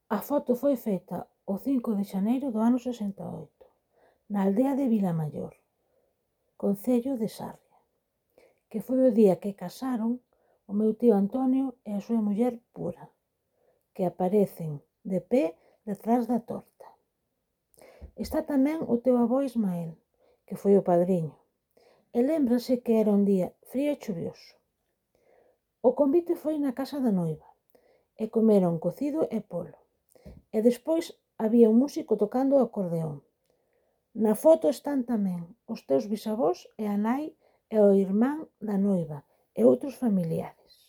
A foto foi feita o 5 de xaneiro do ano 68, na aldea de Vilamaior, concello de Sarria, que foi o día que casaron o meu tío Antonio e a súa muller Pura, que aparecen de pé detrás da torta. Está tamén o teu avó Ismael, que foi o padriño, e lémbrase que era un día frío e chuvioso. O convite foi na casa da noiva, e comeron cocido e polo, e despois había un músico tocando o acordeón. Na foto están tamén os teus bisavós e a nai e o irmán da noiva e outros familiares.